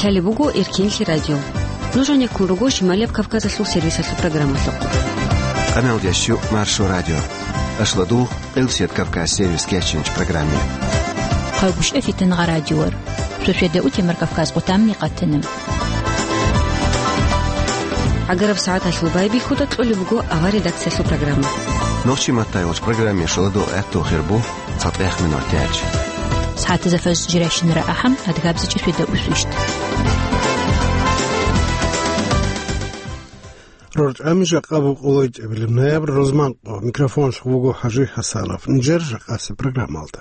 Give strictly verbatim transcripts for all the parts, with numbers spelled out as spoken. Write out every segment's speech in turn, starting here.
Лъалеб буго Эркинлъи радио. Нуж гьанеккун руго Шималияб Кавказалъул сервисалъул программалъухъ. Къаналдящу Маршо радио. Ашладу Къилсият Кавказ сервис кечинч программе. Хъагушев Фитангъа радиор. Шошеда утемар Кавказ къутамни къатанам. ГӀагараб сагӀаталъул байбихьуда кьолеб буго авар редакциялъул программа. Нохчи маттай вач программе шоладу гӀатту хирбу. ЦатӀехъ минутач. СагӀатазда фаз жирайщинара ахӀам, адгабзичӀеб шведа усвищт. РорчӀами жакъа букӀулайчӀебилеб ноябрь рузманкъо. Микрофон вуго ХӀажи ХӀасанов. Нижер жакъасеб программалда.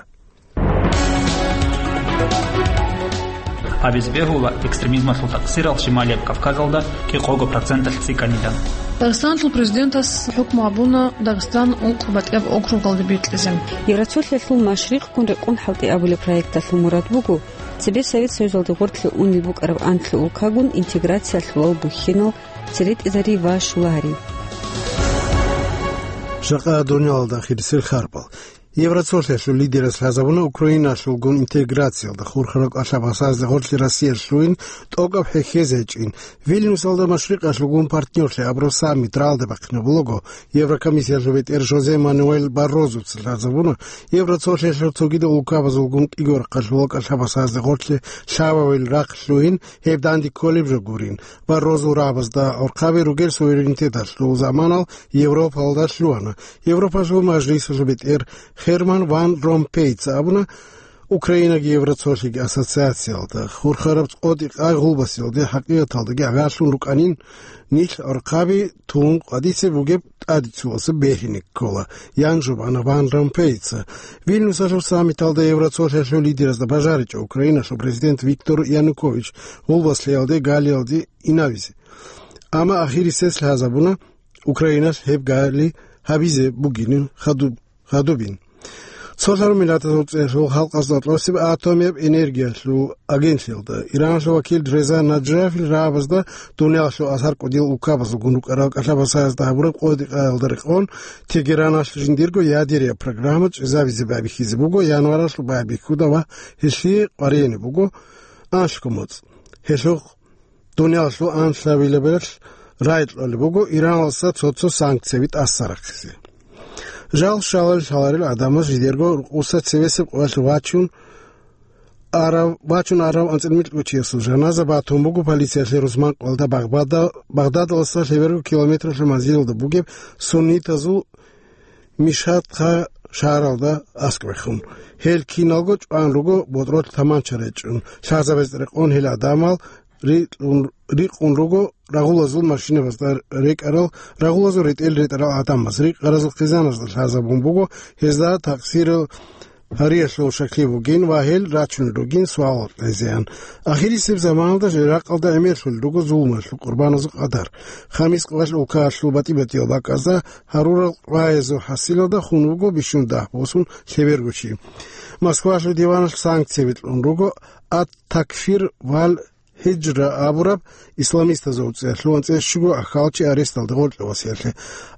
Абиз бегьула экстремизмалъул такъсирал Шималияб Кавказалда кӀикъого проценталъ цӀикӀкӀанидан. Дагъистаналъул президентас хӀукму гьабуна Дагъистан ункъ батӀияб округалде бикьизе. Евроцолъиялъул машрикъгун рекъон хӀалтӀи абулеб проекталъул мурад буго, цебе Совет Союзалде гъорлъе унел букӀараб анлъго улкагун интеграциялъулал бухьинал церетӀизари ва щулагьари. Жакъа дуниялалда ахирисел харпал. Евроцолъиялъул лидерас лъазабуна Украиналъулгун интеграциялда хурхарал кӀалъабасазде гъорлъе Россия лъугьин тӀокӀаб хӀехьезе гьечӀин. Вильнюсалда машрикъалъулгун партнерлъи абураб саммит ралде бахъинабулаго, Еврокомиссиялъул бетӀер Жозе Мануэль Баррозуца лъазабуна, Евроцолъиялъул цогидал улкабазулгун кӀиго рахъалъулал кӀалъабасазде гъорлъе лъабавил рахъ лъугьин, гьеб данде кколеб жо гурин. Баррозу рагӀабазда гӀорхъаби ругел суверенитеталъул заманал Европалда лъугьана. Европалъул мажлисалъул бетӀер Херман ван Ромпейца абуна, Украинаги Евроцолъиги ассоциациялда хурхараб къотӀи-къай гъулбасиялде хӀакъикъаталдаги гӀагарлъун рукӀанин, нилъ гӀорхъаби тун къватӀисе бугеб тӀадицуялъа бегьине ккола, ян жубана ван Ромпейца. Вильнюсалъул саммиталда Евроцолъиялъул лидеразда бажаричӀо Украиналъул президент Виктор Янукович гъулбаслъиялде галиялде инавизе. Амма ахирисез лъазабуна, Украиналъ гьеб гали гьабизе бугин хадуб-, хадубин. Цолъарал Миллатазул ЦӀехьул Халкъазда кьосеб атомияб энергиялъул агентлъиялда Ираналъул вакил Реза Наджафил рагӀабазда дуниялалъул асар кӀудиял улкабазулгун рукӀарал кӀалъабасазда гьабураб къотӀи-къаялда рекъон Тегераналъ жиндирго ядерия программа чӀезабизе байбихьизе буго январалъул байбихьуда ва гьелъие къваригӀине буго анлъго моцӀ. Гьелъухъ дуниялалъул анлъабилебалъ рагӀи кьолеб буго Иранаса цо-цо санкцияби тӀаса рахъизе. Жал щалал лъаларел гӀадамаз жидерго рукъуса цевесеб къоялъ вачун арав-, вачун арав анцӀила микьго чиясул жаназа батун буго полициялъе рузман къоялда Багъбада-, Багъдадаласа лъеберго километралъул манзилалда бугеб суннитазул Мишгьад-Хъа шагьаралда аскӀовехун. Гьел киналго чӀван руго ботӀролъ таманча речӀчӀун. Лъазабез рекъон гьел гӀадамал рикьун-, рикъун руго рагъулазул машинабазда рекӀарал, рагъулазул ретӀел ретӀарал гӀадамаз. Рикъаразул хъизаназда лъазабун буго, гьезда такъсирал гьариялъул шаклъи бугин ва гьел рачунел ругин суал гьезеян. Ахирисеб заманалда жирахъалда гӀемерлъулел руго зулмалъул къурбаназул къадар. Хамис къоялъ улкаялъул батӀи-батӀиял бакӀазда гьарурал къваязул хӀасилалда хун вуго бищун дагь босун лъеберго чи. Москвалъул диваналъ санкцияби кьун руго ат-Такфир вал ХӀижра абураб исламистазул цӀехьлъугьан цӀехьщуго ахьалчи аресталда гъоркье васиялъе.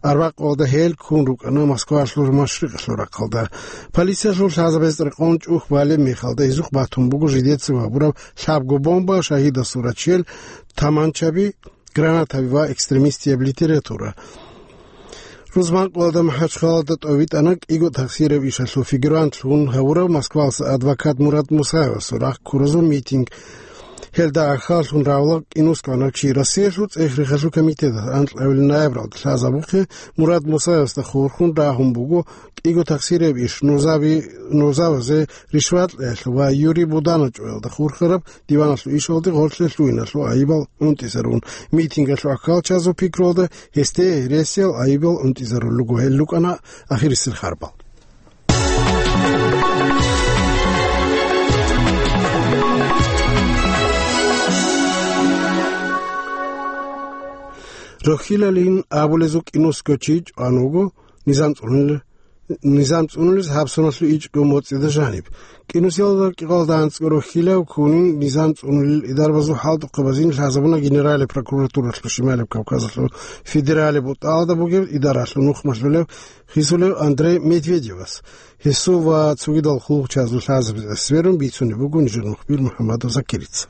Арбакъалда гьел ккун рукӀана Москвалъул машрикъалъул рахъалда. Полициялъул лъазабез рекъон чӀухь балеб мехалда гьезухъ батун буго жидецав гьабураб лъабго бомба, шагьидасул рачел, таманчаби, гранатаби ва экстремистияб литература. Рузман къоялда МахӀачхъалада тӀовитӀана кӀиго такъсираб ишалъул фигурантлъун гьавурав Москвалса адвокат Мурад Мусаевасул рахъ ккуразул митинг. Гьелда ахьаллъун равла кӀинусгӀанав чи Россиялъул цӀех-рехалъул комитеталъ анкьабилеб ноябралда лъазабухъе Мурад Мусаевасда хурхун рагьун буго кӀиго такъсираб иш нузаби-, нузавазе ришват кьеялъул ва Юрий Будана чӀваялда хурхараб диваналъул ишалде гъорлъе лъугьиналъул айибал унтӀизарун. Митингалъул ахьалчазул пикруялда гьесде гьересиял айибал унтӀизарулел руго. Гьел рукӀана ахирисел харбал. Рохьилалин абулезул кӀинусго чи чӀван вуго низам цӀунил-, низам цӀунулез гьабсуналъул ичӀго моцӀида жаниб. КӀинусиялда кӀикъалда анцӀго рохьилав ккунин низам цӀунулел идарбазул хӀалтӀухъабазин лъазабуна Генералияб прокуратуралъул Шималияб Кавказалъул федералияб бутӀалда бугеб идаралъул нухмалъулев хисулев Андрей Медведевас. Гьесул ва цогидал хъулухъчазул лъазабазе сверун бицунеб буго нижер мухбир МухӀаммадов Закирица.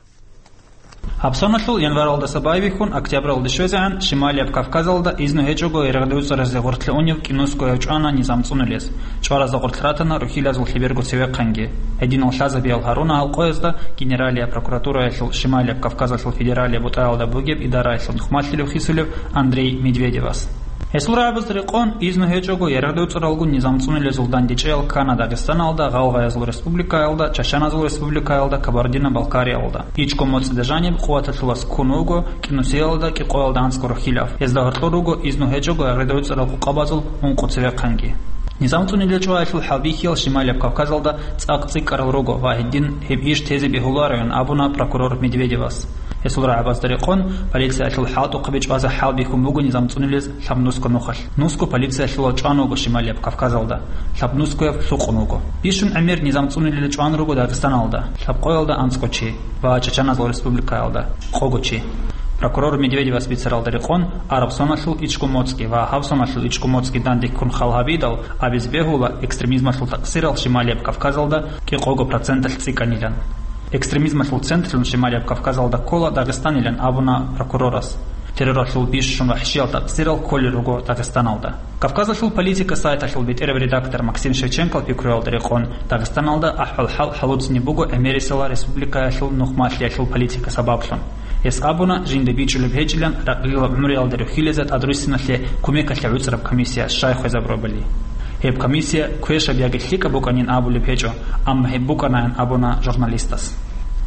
Гьабсоналъул январалдаса байбихьун октябралде щвезегӀан Шималияб Кавказалда изну гьечӀого ярагъдевцӀаразе гъоркье унев кӀинусго гьев чӀвана низам цӀунулез. ЧӀваразда гъоркь ратана рухьилазул лъеберго цевехъанги. Гьединал лъазабиял гьаруна гьал къоязда генералияб прокуратураялъул Шималияб Кавказалъул федералияб бутӀаялда бугеб идараялъул нухмалъилев хисулев Андрей Медведевас. Гьесул рагӀабазда рекъон, изну гьечӀого ярагъдевцӀаралгун низам цӀунулезул дандечӀеял ккана Дагъистаналда, Гъалгъаязул республикаялда, Чачаназул республикаялда, Кабардино-Балкариялда. ИчӀго моцӀида жаниб къуваталъулас ккун вуго кӀинусиялда кӀикъоялда анцӀго рухьилав. Гьезда гьоркьор руго изну гьечӀого ярагъдевцӀарал къукъабазул ункъо цевехъанги. Низам цӀунулел чӀваялъул хӀалбихьиял Шималияб Кавказалда цӀакъ цӀикӀкӀарал руго ва гьедин гьеб иш тезе бегьулароян абуна прокурор Медведевас. Гьесул рагӀабазда рекъон, полициялъул хӀалтӀухъаби чӀвазе хӀалбихьун буго низам цӀунулез лъабнусго нухалъ. Нусго полициялъулал чӀван вуго Шималияб Кавказалда, лъабнусгояб лъукъун вуго. Бищун гӀемер низам цӀунулел чӀван руго Дагъистаналда, лъабкъоялда анцӀго чи, ва Чачаназул республикаялда, къого чи. Прокурор Медведевас бицаралда рекъон, араб соналъул ичӀго моцӀги ва гьаб соналъул ичӀго моцӀги данде ккун хал гьабидал, абизе бегьула экстремизмалъул такъсирал Шималияб Кавказалда кӀикъого проценталъ цӀикӀкӀанилан. Экстремизмалъул централъун Шималияб Кавказалда ккола Дагъистанилан абуна прокурорас. Терроралъул бищун вахӀшиял такъсирал кколел руго Дагъистаналда. Кавказалъул политика сайталъул бетӀераб редактор Максим Шевченкол пикруялда рекъон, Дагъистаналда ахӀвал-хӀал хӀалуцӀни буго гӀемерисела республикаялъул нухмалъиялъул политика сабаблъун. Гьес абуна, жинда бичӀчӀулеб гьечӀилан ракълилаб гӀумруялда рухьилеза тӀадруссиналъе кумекалъе гӀуцӀараб комиссия щай хвезабурабали. Гьеб комиссия квешаб яги лъикӀаб букӀанин абулеб гьечӀо, амма гьеб букӀанаян абуна журналистас.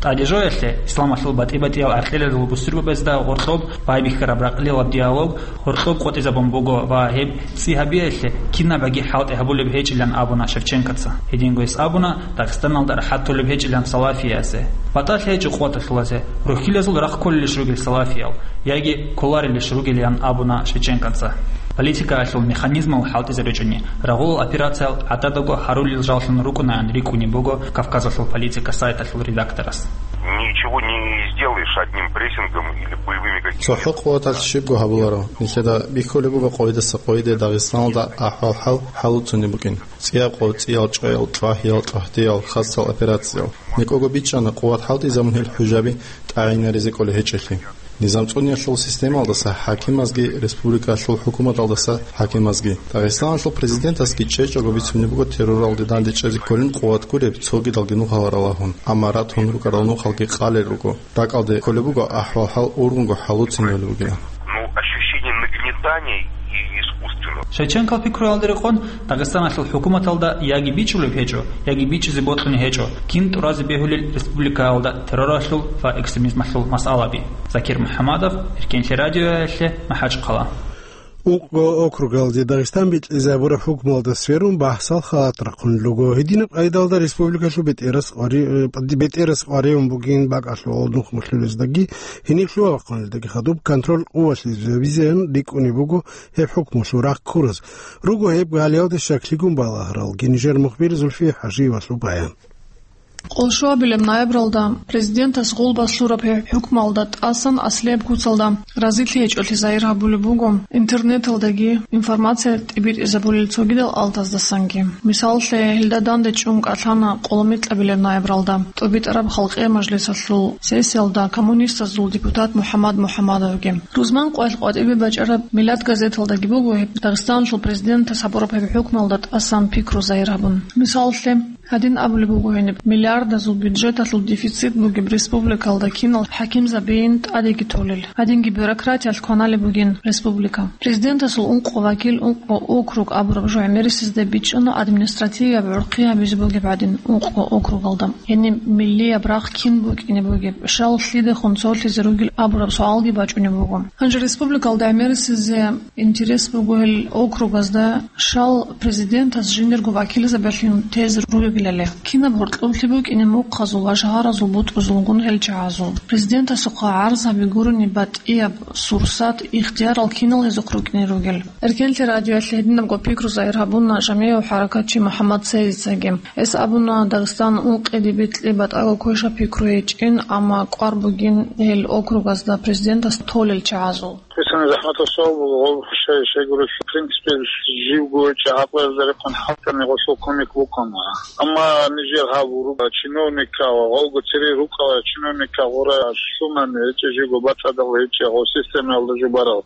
ТӀаде жоялъе, исламалъул батӀи-батӀиял гӀаркьилазул бусурбабазда гъоркьоб байбихьараб ракълилаб диалог гъоркьоб къотӀизабун буго ва гьеб цӀи гьабиялъе кинабаги хӀалтӀи гьабулеб гьечӀилан абуна Шевченкоца. Гьединго гьес абуна, Дагъистаналда рахӀат толеб гьечӀилан салафиясе. БатӀалъи гьечӀо къуваталъулазе, рухьилазул рахъ кколелищ ругел салафиял, яги кколарелищ ругелиян абуна Шевченкоца. Политикаялъул механизмал хӀалтӀизе ручӀуни, рагъулал операциял гӀададаго гьарулел жаллъун рукӀунаян рикӀкӀунеб буго Кавказалъул политика сайталъул редакторас. Ничего не сделаешь одним прессингом или боевыми какими-то. ЦохӀо къуваталъ щибго гьабуларо. Нилъеда бихьулеб буго къойидаса къойиде Дагъистаналда ахӀвал-хӀал хӀалуцунеб букӀин. ЦӀияб къо, цӀиял чӀваял, чӀвагьиял, чӀвагьдиял, хасал операциял. НекӀого бичӀчӀана къуват хӀалтӀизабун гьел хӀужаби тӀагӀинаризе кӀолей гьечӀелъи. Низам цӀуниялъул системалдаса хӀакимазги, республикалъул хӀукуматалдаса хӀакимазги. Дагъистаналъул президентасги чӀечӀого бицунеб буго терроралде дандечӀезе кколин къуват гуреб цогидалги нухал ралагьун, амма ратун рукӀарал нухалги къалел руго. РакӀалде кколеб буго ахӀвал-хӀал ургъунго хӀалуцинабулеб бугилан. Ну, ощущение нагнетания и искусственного. Шевченкол пикруялда рекъон, Дагъистаналъул хӀукуматалда яги бичӀчӀулеб гьечӀо, яги бичӀчӀизе бокьулеб гьечӀо, кин тӀуразе бегьулел республикаялда терроралъул ва экстремизмалъул масъалаби. Закир МухӀамадов, Эркенлъи радиоялъе, МахӀачхъала. Ункъго округалде Дагъистан бикьизабураб хӀукмуялда сверун бахӀсал халат рахъунел руго. Гьединаб къайдалда республикалъул бетӀерас къвари-, бетӀерас къваригӀун бугин бакӀалъул нухмалъулездаги, гьениб лъугьа-вахъунелдаги хадуб контроль къуваталъизабизеян рикӀкӀунеб буго гьеб хӀукмулъул рахъ ккураз. Руго гьеб гьалиялде щаклъигун балагьаралги нижер мухбир Зульфия ХӀажиевалъул баян. Къолшуабилеб ноябралда президентас гъулбас лъураб гьеб хӀукмалда тӀасан аслияб куцалда разилъи гьечӀолъи загьир гьабулеб буго интернеталдаги информация тӀибитӀизабулел цогидал алтаздасанги. Мисаллъе, гьелда данде чӀун кӀалъана къоломикьабилеб ноябралда ТӀубитӀараб халкъиял мажлисалъул сессиялда коммунистазул депутат МухӀаммад МухӀаммадовги. Рузман къоялъ къватӀибе бачӀараб «Миллат» газеталдаги буго гьеб Дагъистаналъул президентас гьабураб гьеб хӀукмалда тӀасан пикру загьир гьабун. Мисаллъе, гьадин абулеб буго гьениб: миллиардазул бюджеталъул дефицит бугеб республикалда кинал хӀакимзабийин тӀадеги толел, гьадинги бюрократиялъ кваналеб бугин республика. Президентасул ункъо вакил, ункъо округ абураб жо гӀемерисезда бичӀчӀана административияб гӀурхъи гьабизе бугеб гӀадин ункъо округалда. Гьениб миллияб рахъ кин букӀине бугеб, щал лъидехун цолъизе ругел абураб суалги бачӀунеб буго. Гьанже республикалда гӀемерисезе интерес буго гьел округазда щал президентас жиндирго вакилзабилъун тезе ругелали. Кинаб гьоркьоблъи букӀине мухъазул ва шагьаразул бутӀрузулгун гьел чагӀазул. Президентасухъа гӀарзаби гурони батӀияб сурсат, ихтиярал кинал гьезухъ рукӀине ругел. Эркенлъи радиоялъе гьединабго пикру загьир гьабуна жамигӀав хӀаракатчи МухӀаммад Цейзицаги. Гьес абуна, Дагъистан ункъиде бикьи батӀаго квеша пикру гьечӀин, амма кӀвар бугин гьел округазда президентас толел чагӀазул. Бицани захӀматаб суал буго, гъоб шай-, щайгурелъул, в принципе, живго гьечӀеб гӀакълуялда рекъон хӀалтӀани гъолъул кумек букӀана. Амма нижер гьаб руго чиновникал, гъолго цере рукӀала чиновникал гъура лъунани гьечӀеб, живго бацӀцӀадал гьечӀеб, гъоб системаялда жубарал.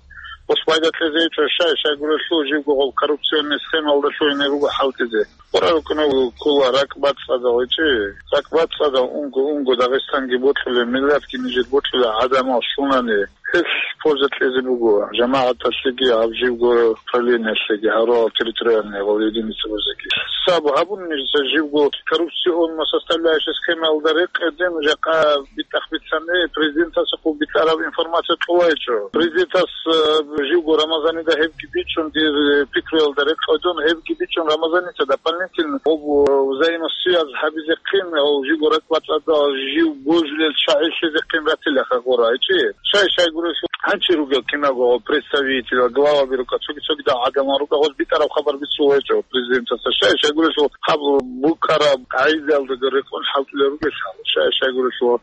Гъос пайда кьезе гьечӀо, щай-, щайгурелъул живго гъоб коррупционный схемаялдалъун гьенир руго хӀалтӀизе. Гъура рукӀунев ккола ракӀ бацӀцӀадал гьечӀеб, ракӀ бацӀцӀадал унго-унго Дагъистанги бокьулеб, миллиятги нижер бокьулеб гӀадамал лъунани. Гьелъ польза кьезе буго жамагӀаталъеги, гьаб живго управлениялъеги, гьарурал территориальный гъол единицабазеги. Саб гьабун нижеца живго коррупционно составляющая схемаялда рекъеде, жакъа битӀахъ бицани, президентасухъ битӀараб информация кьолайчӀо. Президентас, э, живго Рамазанида гьебги бичӀчӀун, дир, э, пикруялда рекъедун, гьебги бичӀчӀун Рамазаница дополнительно гъоб, э, взаимосвязь гьабизехъин, гьав живго ракӀбацӀцӀадал жив божулел чагӀи лъезехъин ратилаха гъура гьечӀеб. Щай-, щайгурелъул гьанчи ругел кинабго представитель ва главаби рукӀа, цоги-цогидал гӀадамал рукӀа, гъоз битӀараб хабар бицула гьечӀо президентасда. Щай-, щайгурелъул гьаб букӀараб къагӀидаялда рекъон хӀалтӀулел ругел, щай-, щайгурелъул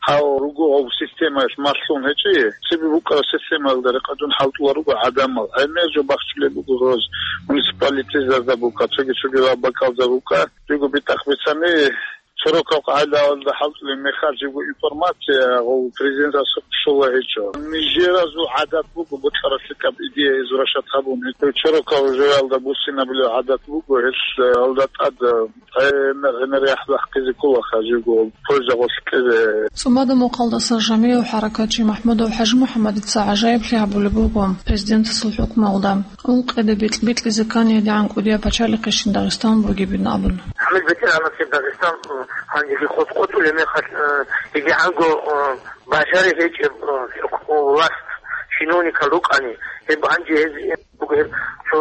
гьав руго гьав системаялъ малъун гьечӀеб, цебе букӀараб системаялда рекъадун хӀалтӀула руго гӀадамал. ГӀемер жо бахчулеб буго гъоз муниципалитетазда букӀа, цоги-цогидал бакӀалда букӀа, живго битӀахъ бицани, сорокал къагӀидаялда хӀалтӀулеб мехалъ живго информация гъов президентасухъ щола гьечӀо. Нижеразул гӀадат буго бокьаралъе кӀаб идея извращать гьабун. Сорокал жоялда буссинабулеб гӀадат буго, гьелъ, э, алда тӀад, э, гӀемер-гӀемер яхӀ бахъизе кколаха живго польза гъолъ кьезе. ЦӀумада мухъалдаса жамигӀав хӀаракатчи МахӀмудов ХӀажимухӀаммадица гӀажаиблъи гьабулеб буго президентасул хӀукмуялда. Ункъиде бикь-, бикьизе ккани гьедигӀан кӀудияб пачалихъе щин Дагъистан бугебин абун. Гьаниб ветеранасеб Дагъистан, э, гьанжеги къотӀ-къотӀулеб мехалъ, э, гьедигӀанго, э, бажари гьечӀеб, э, власть чиновникал рукӀани, гьеб гьанже гьез буго гьеб цо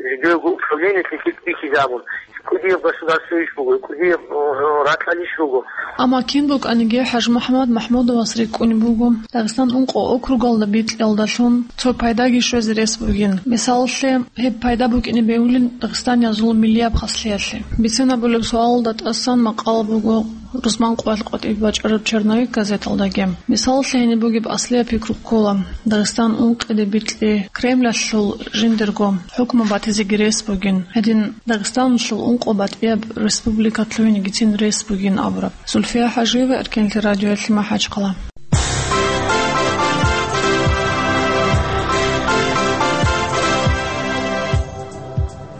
жидеего управлениялъе бихьизабун. КӀудияб государствойищ буго, кӀудияб, э, ракьалищ руго. Амма кин букӀаниги ХӀажимухӀаммад МахӀмудовас рикӀкӀунеб буго Дагъистан ункъо округалда бикьиялдалъун цо пайдаги щвезе рес бугин. Мисалалъе, гьеб пайда букӀине бегьулин дагъистаниязул миллияб хаслъиялъе. Бицинабулеб суалалда тӀасан макъала буго рузман къоялъ къватӀибе бачӀараб «Черновик» газеталдаги. Мисалалъе, гьениб бугеб аслияб пикру ккола: Дагъистан ункъиде бикьи Кремлалъул жиндирго хӀукму батизеги рес бугин. Гьедин Дагъистаналъул ункъо батӀияб республика лъугьинегицин рес бугин абураб. Зульфия ХӀажиева, Эркенлъи радиоялъе, МахӀачхъала.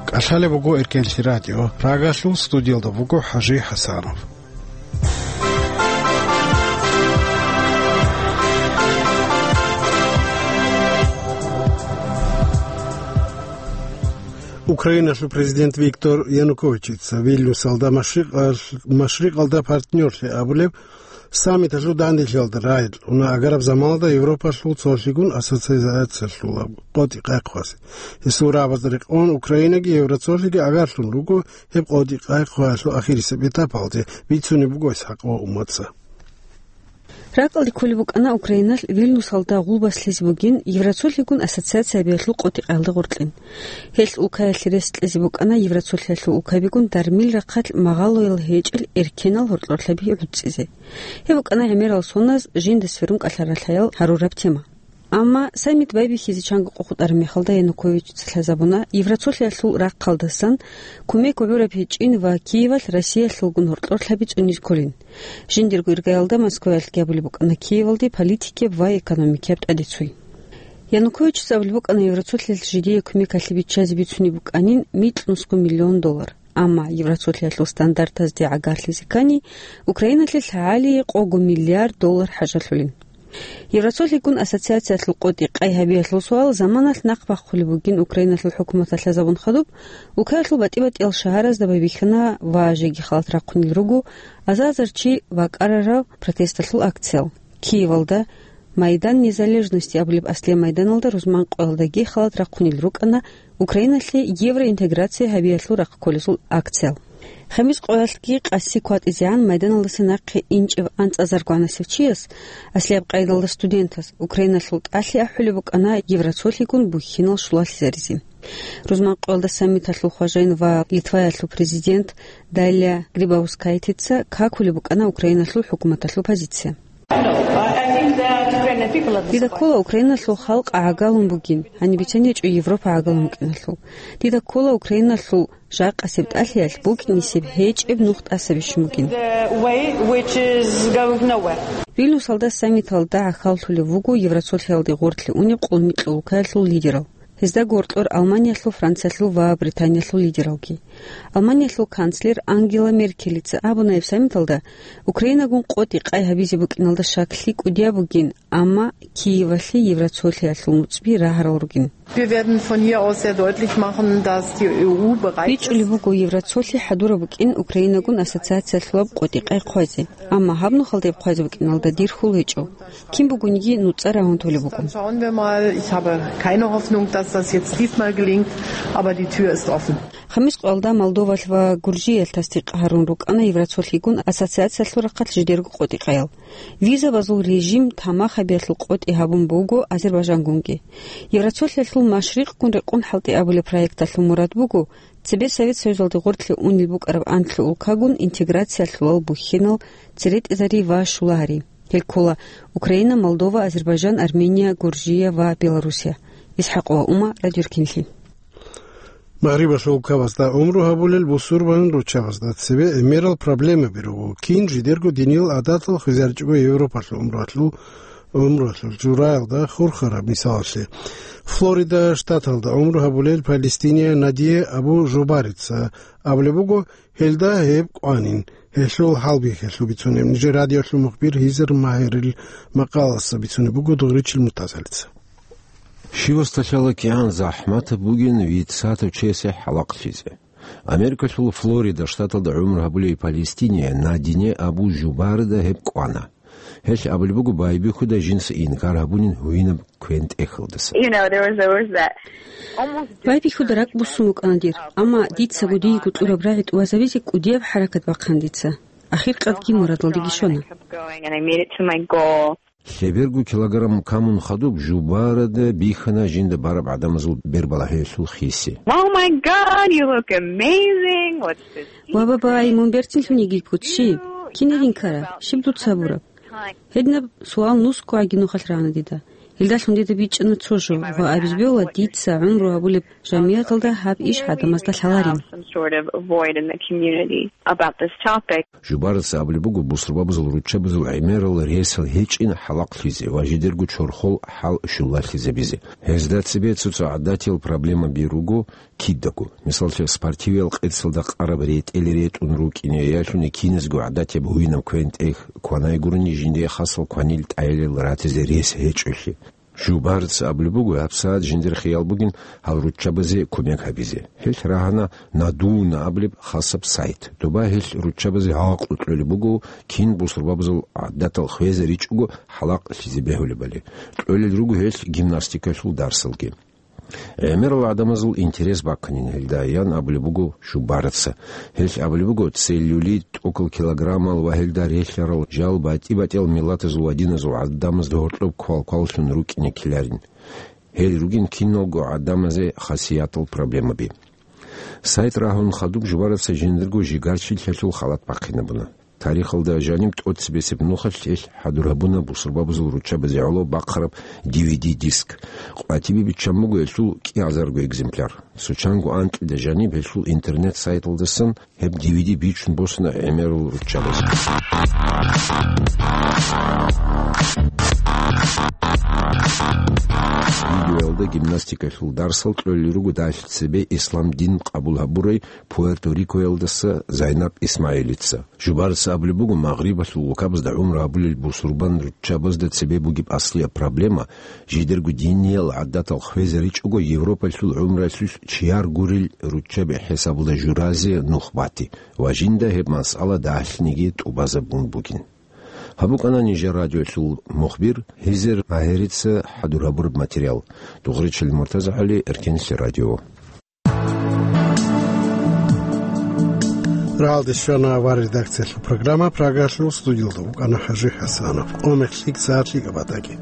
КӀалъалеб буго Эркенлъи радио. Прагалъул студиялда буго ХӀажи ХӀасанов. Украиналъул президент Виктор Януковичица Вильнюсалда машрикъал-, машрикъалда партнёрлъи абулеб саммиталъул данделъиялда рагӀи кьуна агараб заманалда Европалъул цолъигун ассоциациялъул къотӀи къайхъвазе. Гьесул рагӀабазда рекъон Украинаги Евроцолъиги агарлъун руго гьеб къотӀи къайхъваялъул ахирисеб этапалде, бицунеб буго ИсхӀакъ ва Уммаца. РакӀалде кколеб букӀана Украиналъ Вильнюсалда гъулбас лъизе бугин Евроцолъигун ассоциация гьабиялъул къотӀи къайгъалда гъоркьин. Гьелъ улкаялъе рес кьезе букӀана Евроцолъиялъул улкабигун дармил рахъалъ магъалоял гьечӀел эркенал гьоркьорлъаби гӀуцӀизе. Гьеб букӀана гӀемерал соназ жинда сверун кӀалъаралъаял гьарураб тема. Амма саммит байбихьизе чанго къо хутӀараб мехалда Януковичица лъазабуна Евроцолъиялъул рахъалдасан кумек гӀураб гьечӀин ва Киевалъ Россиялъулгун гьоркьорлъаби цӀунизе кколин. Жиндирго иргаялда Москваялъги абулеб букӀана Киевалде политикияб ва экономикияб тӀадеццуй. Януковичица абулеб букӀана Евроцолъиялъ жидее кумекалъе биччазе бицунеб букӀанин микьнусго миллион доллар. Амма Евроцолъиялъул стандартазде гӀагарлъизе ккани, Украиналъе лъагӀалие къого миллиард доллар хӀажалъулин. Евроцолъигун ассоциациялъул къотӀи къай гьабиялъул суал заманалъ нахъ бахъулеб бугин Украиналъул хӀукуматалъ лъазабун хадуб, улкаялъул батӀи-батӀиял шагьаразда байбихьана ва жеги халат рахъунел руго азар-азар чи бакӀарараб протесталъул акциял. Киевалда Майдан Незалежности абулеб аслияб майданалда рузман къоялдаги халат рахъунел рукӀана Украиналъе евроинтеграция гьабиялъул рахъ кколесул акциял. Хемис къоялъги къаси кватӀизегӀан майданалдаса нахъе инчӀев анцӀазарго гьанасев чияс, аслияб къайдалда студентас, Украиналъул тӀалъи ахӀулеб букӀана Евроцолъигун бухьинал щулалъизаризе. Рузман къоялда саммиталъул хважаин ва Литваялъул президент Далия Грибаускайтица какулеб букӀана Украиналъул хӀукуматалъул позиция. Дида ккола Украиналъул халкъ гӀагалун бугин, гьаниб бицен гьечӀо Европа гӀагалун букӀиналъул. Дида ккола Украиналъул жакъасеб тӀалъиялъ букӀинисеб гьечӀеб нух тӀаса бищун бугин. Вильнюсалда саммиталда гӀахьаллъулев вуго Евросолъиялде гъорлъе унеб къулмикьул улкаялъул лидерал. Гьезда гъоркьор Алманиялъул, Франциялъул ва Британиялъул лидералги. Алманиялъул канцлер Ангела Меркелица абуна гьеб саммиталда, Украинагун къотӀи-къай гьабизе букӀиналда щаклъи кӀудияб бугин, амма Киевалъе Евросолъиялъул нуцӀби рагьарал ругин. Wir werden von hier aus sehr deutlich machen, dass die E U bereit ist. БичӀчӀулеб буго, Евросолъи хӀадураб букӀин Украинагун ассоциациялъулаб къотӀи-къай хъвазе, амма гьаб нухалда гьеб хъвазе букӀиналда дир хьул гьечӀо. Кин бугониги нуцӀа рагьун толеб буго. Dann schauen wir mal. Ich habe keine Hoffnung, dass das jetzt diesmal gelingt, aber die Tür ist offen. Хамис къоялда Молдовалъ ва Гуржиялъ тасдикъ гьарун рукӀана Евросолъигун ассоциациялъул рахъалъ жидерго къотӀи-къаял. Визабазул режим тамахабиялъул къотӀи гьабун буго Азербайжангунги. Евросолъиялъул Машрикъгун рекъон хӀалтӀи абулеб проекталъул мурад буго, цебе Совет Союзалде гъорлъе унел букӀараб анлъго улкагун интеграциялъулал бухьенал церетӀезари ва щулагьари. Гьел ккола Украина, Молдова, Азербайжан, Армения, Гуржия ва Белоруссия. ИсхӀакъова Ума, Радио Руккинлъи. Магърибалъул улкабазда гӀумру гьабулел бусурбан руччабазда цебе гӀемерал проблемаби руго. Кин жидерго диниял гӀадатал хвезаричӀого Европалъул гӀумруялъул, гӀумруялъул жураялда хурхараб мисалалъе. Флорида штаталда гӀумру гьабулел палестиния Надия Абу Жубарица абулеб буго, гьелда гьеб кӀванин, гьелъул хӀалбихьалъул бицунеб. Нижер радиолъул мухбир Гьизер Магьарил макъаласа бицунеб буго Дугъричил Муртазалица. Щивасда лъала кигӀан захӀматаб бугин витӀсатав чиясе хӀалахълъизе. Америкалъул Флорида штаталда гӀумру гьабулей палестиния Надине Абу Жубарда гьеб кӀвана. Гьелъ абулеб буго, байбихьуда жинца инкар гьабунин гьуинаб квен-тӀехьалдаса. You know, there was, there was that almost Байбихьуда ракӀ буссун букӀана дир, амма дицаго дийго кьураб рагӀи тӀубазабизе кӀудияб хӀаракат бахъана дица. Ахиркъадги мурадалдеги щвана. Kept going and I made it to my goal. Лъеберго килограмм камун хадуб Жубарада бихьана жинда бараб гӀадамазул бербалагьиялъул хиси. Oh my God, you look amazing. What's this? Ва, бабай, мун берцинлъун йигилъ гуц щиб? Кинаб инкараб? Щиб дуца гьабураб? Гьединаб суал нусго гӀаги нухалъ рагӀана дида. Гьелдалъун дида бичӀчӀана цо жо ва абизе бегьула дица гӀумру гьабулеб жамигӀаталда гьаб иш гӀадамазда лъаларин. Some sort of void in the community about this topic. Жубараца абулеб буго, бусурбабазул руччабазул гӀемерал ресал гьечӀин хӀалахълъизе ва жидерго чорхол хӀал щулалъизабизе. Гьезда цебе цо-цо гӀадатиял проблемаби руго кидаго. Мисаллъи, спортивиял къецалда къараб ретӀел ретӀун рукӀине, ялъуни киназго гӀадатияб гьуинаб квен-тӀех кванай гурони, жиндие хасал кванил тӀайлил ратизе рес гьечӀолъи. Жубарц абулеб буго, гьабсагӀат жиндир хиял бугин гьал руччабазе кумек гьабизе. Гьелъ рагьана Надуна абулеб хасаб сайт. Доба гьелъ руччабазе гьакъу кьолеб буго, кин бусурбабазул гӀадатал хвезаричӀого хӀалахълъизе бегьулебали. Кьолел руго гьелъ гимнастикалъул дарсалги. ГӀемерал гӀадамазул интерес бакканин гьелда, ян абулеб буго Жубараца. Гьелъ абулеб буго, целлюлит, тӀокӀал килограммал ва гьелда релълъарал жал батӀи-батӀиял миллатазул ва диназул гӀадамазда гьоркьоб квалкваллъун рукӀине ккеларин. Гьел ругин киналго гӀадамазе хасиятал проблемаби. Сайт рагьун хадуб Жубараца жиндирго жигарчиллъиялъул халат бахъинабуна. Тарихалда жаниб тӀоцебесеб нухалъ гьелъ хӀадур гьабуна бусурбабазул руччабазе гӀоло бахъараб D V D диск. Къватибе биччан буго гьелъул кӀиазарго экземпляр. Цо чанго анкьида жаниб гьелъул интернет-сайталдасан гьеб D V D бичун босуна гӀемерал руччабазе. Видеоялда гимнастикалъул дарсал кьолел руго дагьлъи цебе ислам дин къабул гьабурай Пуэрто-Рикоялдаса Зайнаб Исмаилица. Жубарца абулеб буго, Магърибалъул улкабазда гӀумру гьабулел бусурбан руччабазда цебе бугеб аслияб проблема, жидерго диниял гӀадатал хвезаричӀого Европалъул гӀумралъулъ чияр гурел руччаби хӀисабалда журазе нух бати ва жинда гьеб масъала дагьлъиниги тӀубазабун бугин. Гьаб букӀана нижер радиолъул мухбир Гьизер Магьарица хӀадур гьабураб материал. Дугъричил МуртазагӀали, Эркенлъи радио. Рагьалде щвана авар редакциялъул программа, Прагалъул студиялда вукӀана ХӀажи ХӀасанов. Къо мехлъи сагӀат лъикӀаб батӀаги.